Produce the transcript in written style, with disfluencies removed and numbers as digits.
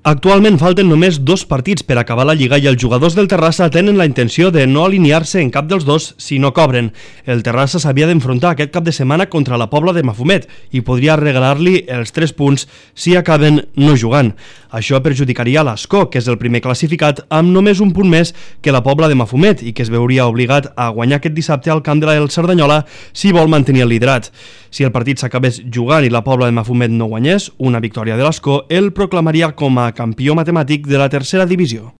Actualment falten només 2 partits per acabar la Lliga i els jugadors del Terrassa tenen la intenció de no alinear-se en cap dels dos si no cobren. El Terrassa s'havia d'enfrontar aquest cap de setmana contra la Pobla de Mafumet i podria regalar-li els 3 punts si acaben no jugant. Això perjudicaria l'Ascó, que és el primer classificat, amb només un punt més que la Pobla de Mafumet i que es veuria obligat a guanyar aquest dissabte al camp de la Cerdanyola si vol mantenir el liderat. Si el partit s'acabés jugant i la Pobla de Mafumet no guanyés, una victòria de l'Ascó el proclamaria com a campió matemàtic de la tercera divisió.